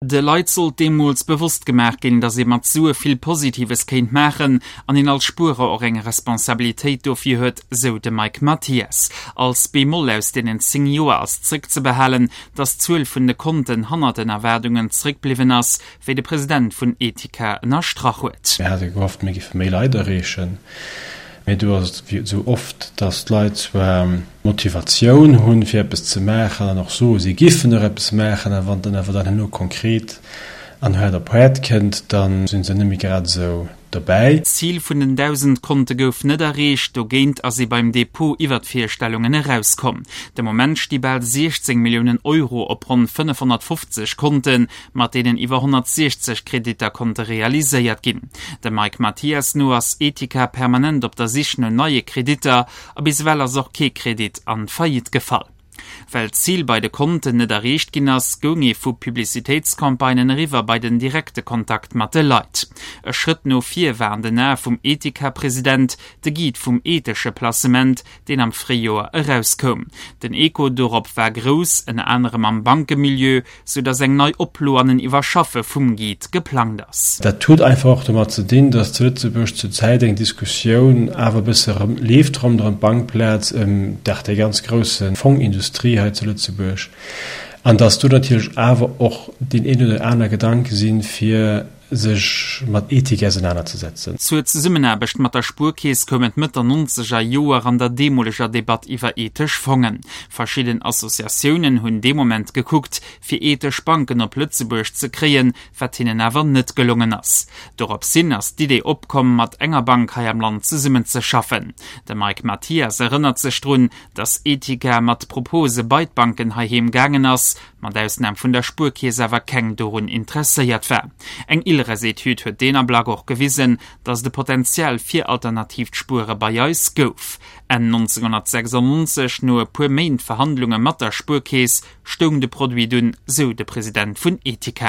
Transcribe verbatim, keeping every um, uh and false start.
De Leit sollt deemools bewosst gemaach ginn, datt ee mat Sue vill Positives kéint maachen an een als Spuerer och eng Responsabilitéit dofir huet, sou de Mike Mathias. Als Bemoll aus deenen zéng Joer ass zréckzebehalen, datt d'Zuel vun de Konten hannert den Erwaardungen zréckbliwwen ass, wéi de President vun Etika ënnerstrach huet. Mir hate gehofft, mir géife méi Leit erreechen, mee do ass et wéi esou oft, datt d'Leit zwar d'Motivatioun hunn, fir eppes ze maachen an och soe si giffen och eppes maachen, a wann et dann awer dann herno konkret an haart op haart kënnt, da si se net méi grad esou dobäi. D'Zil vun den dausend Konte gouf net erreecht, dogéint ass ee beim Depot iwwer d'Virstellungen erauskomm. De Moment sti bal siechzéng Milliounen Euro op ronn fënnefhonnertfofzeg Konten, mat deenen iwwer honnertsiechzeg Kreditter konnte realiséiert ginn. Dem Mike Mathias no ass Etika permanent op der Sich no neie Kreditter a bis ewell ass och kee Kredit an d'Faillite gefall. Well d'Zil bei de Konten net erreecht ginn ass, goung ee vu Publicitéitscampagnen eriwwer bei den direkte Kontakt mat de Leit. E Schrëtt no vir war an den Ae vum Etika-President de Guide vum ethesche Placement, deen am Fréijoer erauskoum. Den Echo dorop war grouss, ënner anerem am Bankemilieu, sou datt eng nei Oplo an en Iwwerschaffe vum Guide geplangt ass. Dat huet einfach och domat ze dinn, datt zu Lëtzebuerg zur Zäit eng Diskussioun awer e bësse erëm leeft ronderëm d'Bankplaz, ëm dach déi ganz grousse Fongindustrie hei zu Lëtzebuerg, an datt do natierlech awer och deen een oder aner Gedanke sinn, fir sech mat Ethik ausenanerzesetzen. Zur Zesummenaarbecht mat der Spuerkeess koum et Mëtt der nonzeger Joer an der deemoleger Debatt iwwer ethesch Fongen. Verschidden Associatiounen hunn dee Moment gekuckt, fir ethesch Banken op Lëtzebuerg ze kréien, wat hinnen awer net gelongen ass. Dorops hin ass d'Idee opkomm, mat enger Bank hei am Land zesummenzeschaffen. De Mike Mathias erënnert sech drun, datt Etika mat Propose bei d'Banken heiheem gaangen ass, mat Ausnam vun der Spuerkeess awer keng dorun interesséiert war. Eng ILReS-Etüd huet deen Ablack och gewisen, datt et e Potenzial fir alternatiivt Spuere bei eis gouf. Enn nonzénghonnertsechsannonzeg, no e puer Méint Verhandlunge mat der Spuerkeess, stoung de Produit dunn, sou de President vun Etika.